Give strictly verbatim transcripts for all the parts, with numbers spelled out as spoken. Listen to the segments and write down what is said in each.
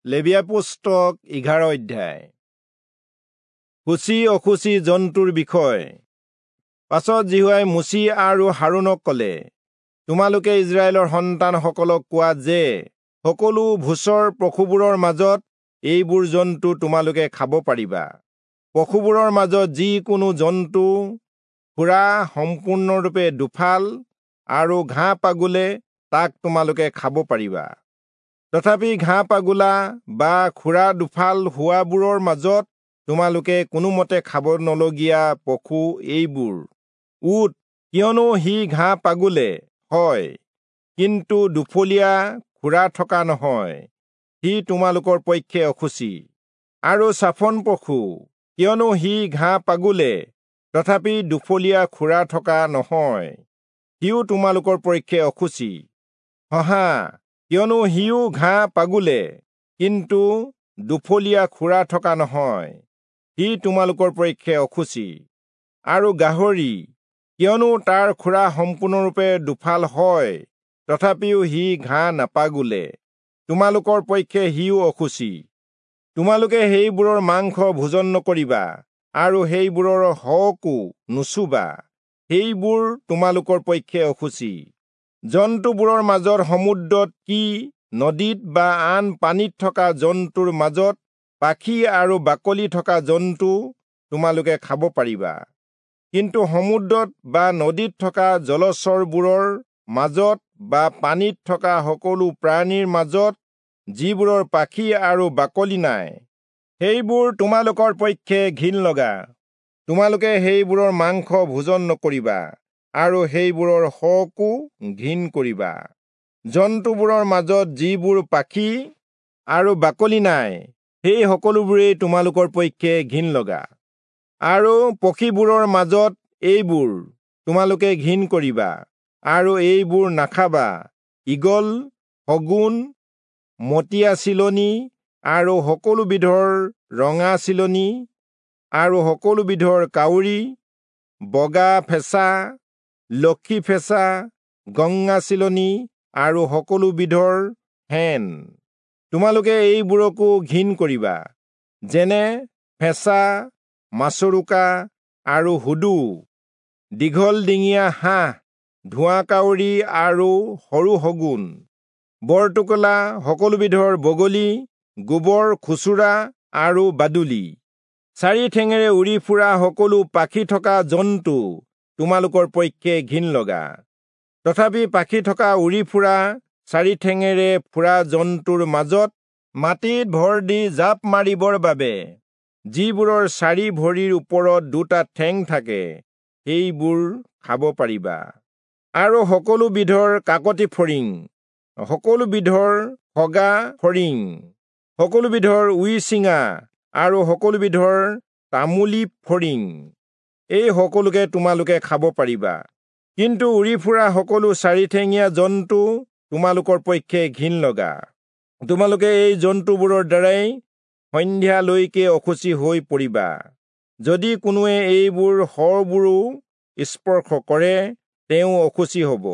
লেবীয়া পুস্তক এঘাৰ অধ্যায়। শুচি অশুচি জন্তুৰ বিষয়। পাছত যিহোৱাই মোচি আৰু হাৰোণক কলে, তোমালোকে ইস্ৰায়েলৰ সন্তানসকলক কোৱা যে সকলো ভূচৰ পশুবোৰৰ মাজত এইবোৰ জন্তু তোমালোকে খাব পাৰিবা। পশুবোৰৰ মাজত যিকোনো জন্তু খুৰা সম্পূৰ্ণৰূপে দুফাল আৰু ঘাঁহ পাগুলে তাক তোমালোকে খাব পাৰিবা। তথাপি ঘাঁহ পাগুলা বা খুৰা দুফাল হোৱাবোৰৰ মাজত তোমালোকে কোনোমতে খাব নলগীয়া পশু এইবোৰ: উট, কিয়নো সি ঘাঁহ পাগুলে হয়, কিন্তু দুফলীয়া খুৰা থকা নহয়, সি তোমালোকৰ পক্ষে অশুচি। আৰু চাফন পশু, কিয়নো সি ঘাঁহ পাগুলে, তথাপি দুফলীয়া খুৰা থকা নহয়, সিও তোমালোকৰ পক্ষে অশুচি। শহা, কিয়নো সিও ঘাঁহ পাগুলে, কিন্তু দুফলীয়া খুৰা থকা নহয়, সি তোমালোকৰ পক্ষে অশুচি। আৰু গাহৰি, কিয়নো তাৰ খুৰা সম্পূৰ্ণৰূপে দুফাল হয়, তথাপিও সি ঘাঁহ নাপাগুলে, তোমালোকৰ পক্ষে সিও অশুচি। তোমালোকে সেইবোৰৰ মাংস ভোজন নকৰিবা আৰু সেইবোৰৰ শৱকো নুচুবা, সেইবোৰ তোমালোকৰ পক্ষে অশুচি। জন্তুবোৰৰ মাজত সমুদ্ৰত কি নদীত বা আন পানীত থকা জন্তুৰ মাজত পাখি আৰু বাকলি থকা জন্তু তোমালোকে খাব পাৰিবা। কিন্তু সমুদ্ৰত বা নদীত থকা জলচৰবোৰৰ মাজত বা পানীত থকা সকলো প্ৰাণীৰ মাজত যিবোৰৰ পাখি আৰু বাকলি নাই, সেইবোৰ তোমালোকৰ পক্ষে ঘিণ লগা। তোমালোকে সেইবোৰৰ মাংস ভোজন নকৰিবা আৰু সেইবোৰৰ শৱকো ঘিণ কৰিবা। জন্তুবোৰৰ মাজত যিবোৰ পাখি আৰু বাকলি নাই, সেই সকলোবোৰেই তোমালোকৰ পক্ষে ঘিণ লগা। আৰু পক্ষীবোৰৰ মাজত এইবোৰ তোমালোকে ঘিণ কৰিবা আৰু এইবোৰ নাখাবা: ঈগল, শগুন, মটীয়া চিলনী আৰু সকলো বিধৰ ৰঙা চিলনী আৰু সকলো বিধৰ কাউৰী, বগা ফেঁচা, লক্ষী ফেঁচা, গংগা চিলনী আৰু সকলো বিধৰ শেন। তোমালোকে এইবোৰকো ঘিণ কৰিবা, যেনে ফেঁচা, মাছৰোকা আৰু হুদু, দীঘল ডিঙীয়া হাঁহ, ধোঁৱা কাউৰী আৰু সৰু শগুন, বৰটোকোলা, সকলো বিধৰ বগলী, গোবৰ খুচুৰা আৰু বাদুলি। চাৰি ঠেঙেৰে উৰি ফুৰা সকলো পাখি থকা জন্তু তোমালোকৰ পক্ষে ঘিণ লগা। তথাপি পাখি থকা উৰি ফুৰা চাৰি ঠেঙেৰে ফুৰা জন্তুৰ মাজত মাটিত ভৰ দি জাপ মাৰিবৰ বাবে যিবোৰৰ চাৰি ভৰিৰ ওপৰত দুটা ঠেং থাকে, সেইবোৰ খাব পাৰিবা। আৰু সকলো বিধৰ কাকতি ফৰিং, সকলো বিধৰ খগা ফৰিং, সকলো বিধৰ উইচিঙা আৰু সকলো বিধৰ তামুলী ফৰিং, এই সকলোকে তোমালোকে খাব পাৰিবা। কিন্তু উৰি ফুৰা সকলো চাৰিঠেঙীয়া জন্তু তোমালোকৰ পক্ষে ঘিণ লগা। তোমালোকে এই জন্তুবোৰৰ দ্বাৰাই সন্ধ্যালৈকে অশুচি হৈ পৰিবা। যদি কোনোৱে এইবোৰ শৱবোৰো স্পৰ্শ কৰে, তেওঁ অশুচি হ'ব।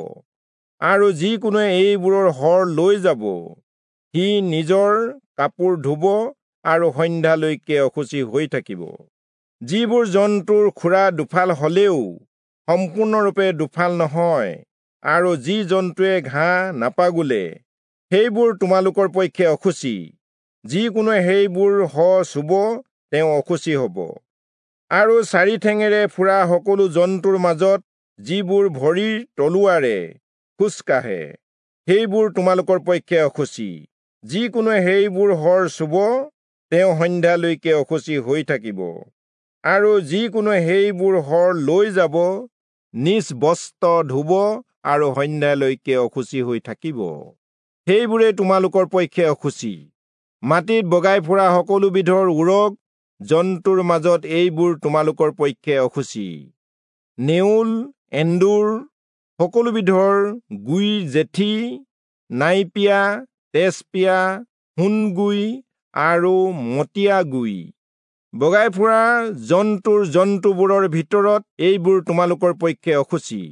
আৰু যিকোনোৱে এইবোৰৰ শৰ লৈ যাব, সি নিজৰ কাপোৰ ধুব আৰু সন্ধ্যালৈকে অশুচি হৈ থাকিব। যিবোৰ জন্তুৰ খুৰা দুফাল হলেও সম্পূৰ্ণৰূপে দুফাল নহয় আৰু যি জন্তুৱে ঘাঁহ নাপাগুলে, সেইবোৰ তোমালোকৰ পক্ষে অশুচি। যিকোনোৱে সেইবোৰ শ চুব, তেওঁ অশুচি হ'ব। আৰু চাৰি ঠেঙেৰে ফুৰা সকলো জন্তুৰ মাজত যিবোৰ ভৰিৰ তলুৱাৰে খোজ কাঢ়ে, সেইবোৰ তোমালোকৰ পক্ষে অশুচি। যিকোনোৱে সেইবোৰ শৰ চুব, তেওঁ সন্ধ্যালৈকে অশুচি হৈ থাকিব। আৰু যিকোনোৱে সেইবোৰ শৰ লৈ যাব, নিজ বস্ত্ৰ ধুব আৰু সন্ধ্যালৈকে অশুচি হৈ থাকিব। সেইবোৰে তোমালোকৰ পক্ষে অশুচি। মাটিত বগাই ফুৰা সকলো বিধৰ উৰগ জন্তুৰ মাজত এইবোৰ তোমালোকৰ পক্ষে অশুচি: নেউল, এন্দুৰ, সকলো বিধৰ গুই জেঠী, নাইপিয়া, তেজপিয়া, সোণগুই আৰু মটীয়া গুই। বগাই ফুৰা জন্তুৰ জন্তুবোৰৰ ভিতৰত এইবোৰ তোমালোকৰ পক্ষে অশুচি।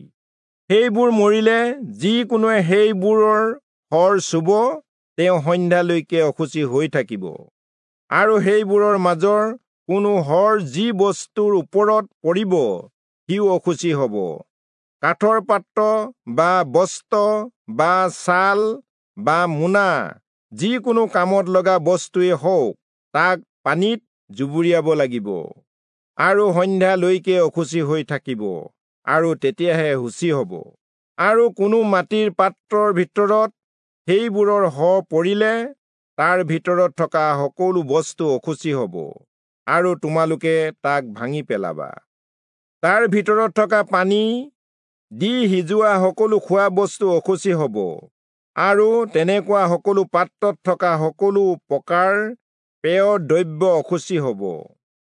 সেইবোৰ মৰিলে যিকোনোৱে সেইবোৰৰ শৰ চুব, তেওঁ সন্ধ্যালৈকে অশুচি হৈ থাকিব। আৰু সেইবোৰৰ মাজৰ কোনো শৰ যি বস্তুৰ ওপৰত পৰিব সিও অশুচি হ'ব। কাঠৰ পাত্ৰ বা বস্ত্ৰ বা ছাল বা মোনা যিকোনো কামত লগা বস্তুৱেই হওক তাক পানীত জুবুৰিয়াব লাগিব আৰু সন্ধ্যালৈকে অশুচি হৈ থাকিব আৰু তেতিয়াহে শুচি হ'ব। আৰু কোনো মাটিৰ পাত্ৰৰ ভিতৰত সেইবোৰৰ শ পৰিলে তাৰ ভিতৰত থকা সকলো বস্তু অশুচি হ'ব আৰু তোমালোকে তাক ভাঙি পেলাবা। তাৰ ভিতৰত থকা পানী দি সিজোৱা সকলো খোৱা বস্তু অশুচি হ'ব আৰু তেনেকুৱা সকলো পাত্ৰত থকা সকলো প্ৰকাৰ পেয় দ্ৰব্য অশুচি হ'ব।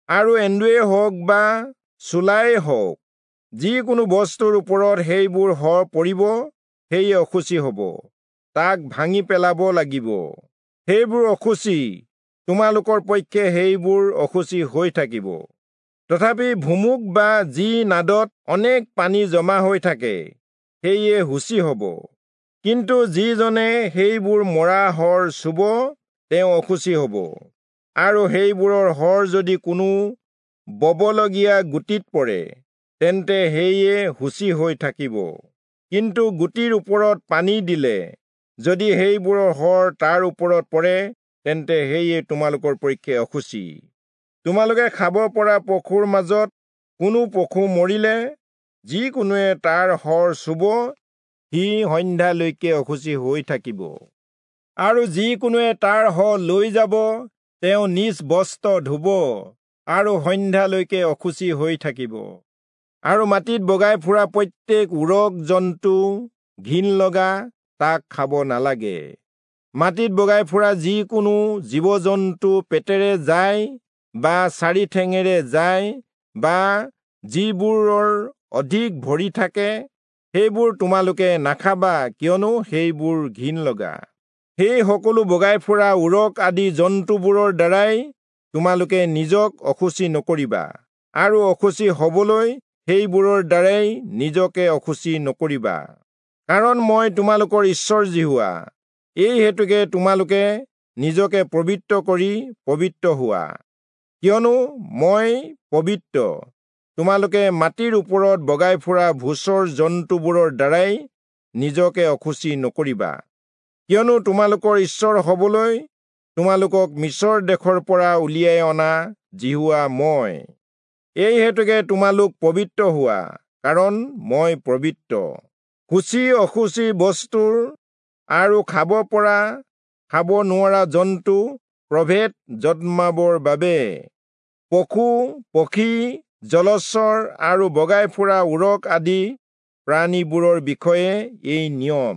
আৰু এন্দুৱেই হওক বা চোলাই হওক, যিকোনো বস্তুৰ ওপৰত সেইবোৰ শ পৰিব সেয়ে অশুচি হ'ব, তাক ভাঙি পেলাব লাগিব। সেইবোৰ অশুচি, তোমালোকৰ পক্ষে সেইবোৰ অশুচি হৈ থাকিব। তথাপি ভুমুক বা যি নাদত অনেক পানী জমা হৈ থাকে সেয়ে শুচি হ'ব। কিন্তু যিজনে সেইবোৰ মৰা শৰ চুব তেওঁ অশুচি হ'ব। আৰু সেইবোৰৰ শৰ যদি কোনো ববলগীয়া গুটিত পৰে তেন্তে সেয়ে শুচি হৈ থাকিব। কিন্তু গুটিৰ ওপৰত পানী দিলে যদি সেইবোৰৰ শৰ তাৰ ওপৰত পৰে তেন্তে সেয়ে তোমালোকৰ পক্ষে অশুচি। তোমালোকে খাব পৰা পশুৰ মাজত কোনো পশু মৰিলে যিকোনোৱে তাৰ শৰ চুব সি সন্ধ্যালৈকে অশুচি হৈ থাকিব। আৰু যিকোনোৱে তাৰ শ লৈ যাব তেওঁ নিজ বস্ত্ৰ ধুব আৰু সন্ধ্যালৈকে অশুচি হৈ থাকিব। আৰু মাটিত বগাই ফুৰা প্ৰত্যেক উৰগ জন্তু ঘিণ লগা, তাক খাব নালাগে। মাটিত বগাই ফুৰা যিকোনো জীৱ জন্তু পেটেৰে যায় বা চাৰি ঠেঙেৰে যায় বা যিবোৰৰ অধিক ভৰি থাকে সেইবোৰ তোমালোকে নাখাবা, কিয়নো সেইবোৰ ঘিণ লগা। সেই সকলো বগাই ফুৰা উৰগ আদি জন্তুবোৰৰ দ্বাৰাই তোমালোকে নিজক অশুচি নকৰিবা আৰু অশুচি হবলৈ সেইবোৰৰ দ্বাৰাই নিজকে অশুচি নকৰিবা, কাৰণ মই তোমালোকৰ ঈশ্বৰ যিহোৱা। এই হেতুকে তোমালোকে নিজকে পবিত্ৰ কৰি পবিত্ৰ হোৱা, কিয়নো মই পবিত্ৰ। তোমালোকে মাটিৰ ওপৰত বগাই ফুৰা ভূচৰ জন্তুবোৰৰ দ্বাৰাই নিজকে অশুচি নকৰিবা, কিয়নো তোমালোকৰ ঈশ্বৰ হবলৈ তোমালোকক মিচৰ দেশৰ পৰা উলিয়াই অনা যিহোৱা মই। এই হেতুকে তোমালোক পবিত্ৰ হোৱা, কাৰণ মই পবিত্ৰ। শুচি অশুচি বস্তুৰ আৰু খাব পৰা খাব নোৱাৰা জন্তু প্ৰভেদ জন্মাবৰ বাবে পশু পক্ষী জলচৰ আৰু বগাই ফুৰা উৰগ আদি প্ৰাণীবোৰৰ বিষয়ে এই নিয়ম।